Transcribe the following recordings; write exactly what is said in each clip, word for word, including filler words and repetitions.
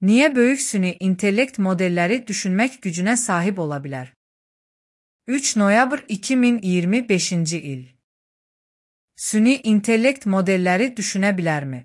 Niye böyük süni intellekt modelleri düşünmek gücüne sahip olabilir? üç noyabr iki min iyirmi beşinci il. Süni intellekt modelleri düşünebilərmi?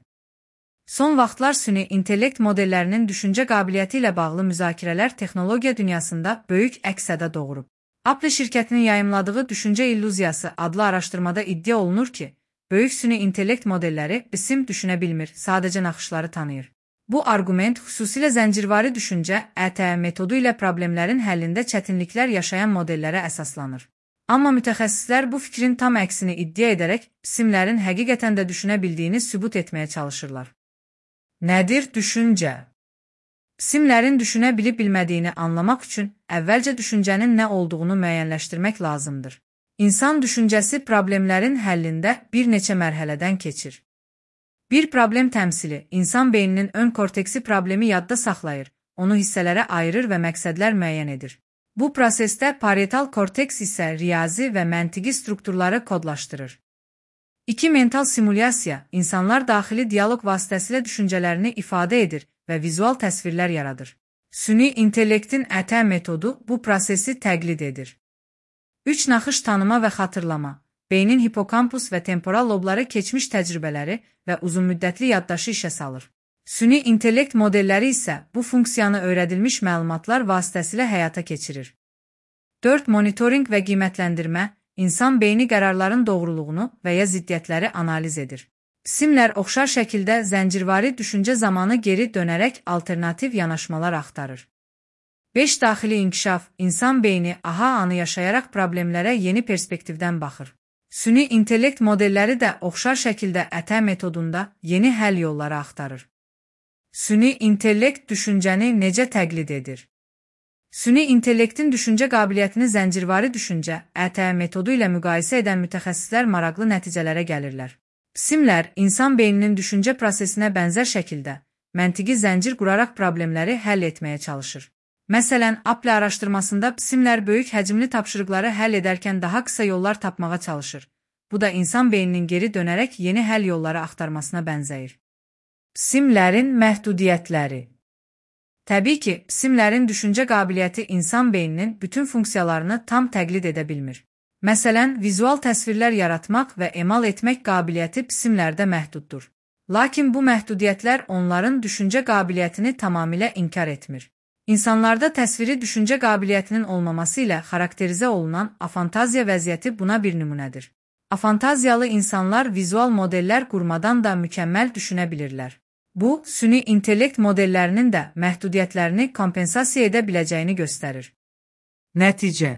Son vaxtlar süni intellekt modellərinin düşüncə qabiliyyəti ilə bağlı müzakirələr texnologiya dünyasında böyük əks-səda doğurub. Apple şirkətinin yayımladığı Düşüncə illüziyası adlı araşdırmada iddia olunur ki, böyük süni intellekt modelləri isim düşünə bilmir, sadəcə naxışları tanıyır. Bu arqument xüsusilə zəncirvari düşüncə (E T metodu ilə problemlərin həllində çətinliklər yaşayan modellərə əsaslanır. Amma mütəxəssislər bu fikrin tam əksini iddia edərək isimlərin həqiqətən də düşünə bildiyini sübut etməyə çalışırlar. Nədir düşüncə? İsimlərin düşünə bilib-bilmədiyini anlamaq üçün əvvəlcə düşüncənin nə olduğunu müəyyənləşdirmək lazımdır. İnsan düşüncəsi problemlərin həllində bir neçə mərhələdən keçir. Bir problem təmsili, insan beyninin ön korteksi problemi yadda saxlayır, onu hissələrə ayırır və məqsədlər müəyyən edir. Bu prosesdə parietal korteks isə riyazi və məntiqi strukturları kodlaşdırır. İki mental simulyasiya, insanlar daxili dialoq vasitəsilə düşüncələrini ifadə edir və vizual təsvirlər yaradır. Süni intellektin E T metodu bu prosesi təqlid edir. Üç naxış tanıma və xatırlama, beynin hipokampus və temporal lobları keçmiş təcrübələri və uzunmüddətli yaddaşı işə salır. Süni intellekt modelləri isə bu funksiyanı öyrədilmiş məlumatlar vasitəsilə həyata keçirir. dörd Monitorinq və qiymətləndirmə, insan beyni qərarların doğruluğunu və ya ziddiyyətləri analiz edir. İsimlər oxşar şəkildə zəncirvari düşüncə zamanı geri dönərək alternativ yanaşmalar axtarır. beş Daxili inkişaf, insan beyni aha anı yaşayaraq problemlərə yeni perspektivdən baxır. Süni intellekt modelləri də oxşar şəkildə E T metodunda yeni həll yolları axtarır. Süni intellekt düşüncəni necə təqlid edir? Süni intellektin düşüncə qabiliyyətini zəncirvari düşüncə (E T metodu ilə müqayisə edən mütəxəssislər maraqlı nəticələrə gəlirlər. İsimlər insan beyninin düşüncə prosesinə bənzər şəkildə məntiqi zəncir quraraq problemləri həll etməyə çalışır. Məsələn, Apple araşdırmasında isimlər böyük həcmli tapşırıqları həll edərkən daha qısa yollar tapmağa çalışır. Bu da insan beyninin geri dönərək yeni həll yolları axtarmasına bənzəyir. İsimlərin məhdudiyyətləri. Təbii ki, isimlərin düşüncə qabiliyyəti insan beyninin bütün funksiyalarını tam təqlid edə bilmir. Məsələn, vizual təsvirlər yaratmaq və emal etmək qabiliyyəti isimlərdə məhduddur. Lakin bu məhdudiyyətlər onların düşüncə qabiliyyətini tamamilə inkar etmir. İnsanlarda təsviri düşüncə qabiliyyətinin olmaması ilə xarakterizə olunan afantaziya vəziyyəti buna bir nümunədir. Afantaziyalı insanlar vizual modellər qurmadan da mükəmməl düşünə bilirlər. Bu, süni intellekt modellərinin də məhdudiyyətlərini kompensasiya edə biləcəyini göstərir. Nəticə.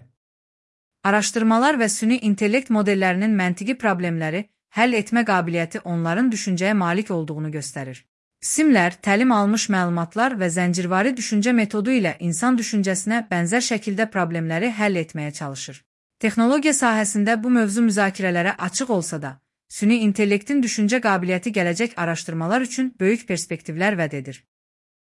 Araşdırmalar və süni intellekt modellərinin məntiqi problemləri həll etmə qabiliyyəti onların düşüncəyə malik olduğunu göstərir. İsimlər, təlim almış məlumatlar və zəncirvari düşüncə metodu ilə insan düşüncəsinə bənzər şəkildə problemləri həll etməyə çalışır. Texnologiya sahəsində bu mövzu müzakirələrə açıq olsa da, süni intellektin düşüncə qabiliyyəti gələcək araşdırmalar üçün böyük perspektivlər vəd edir.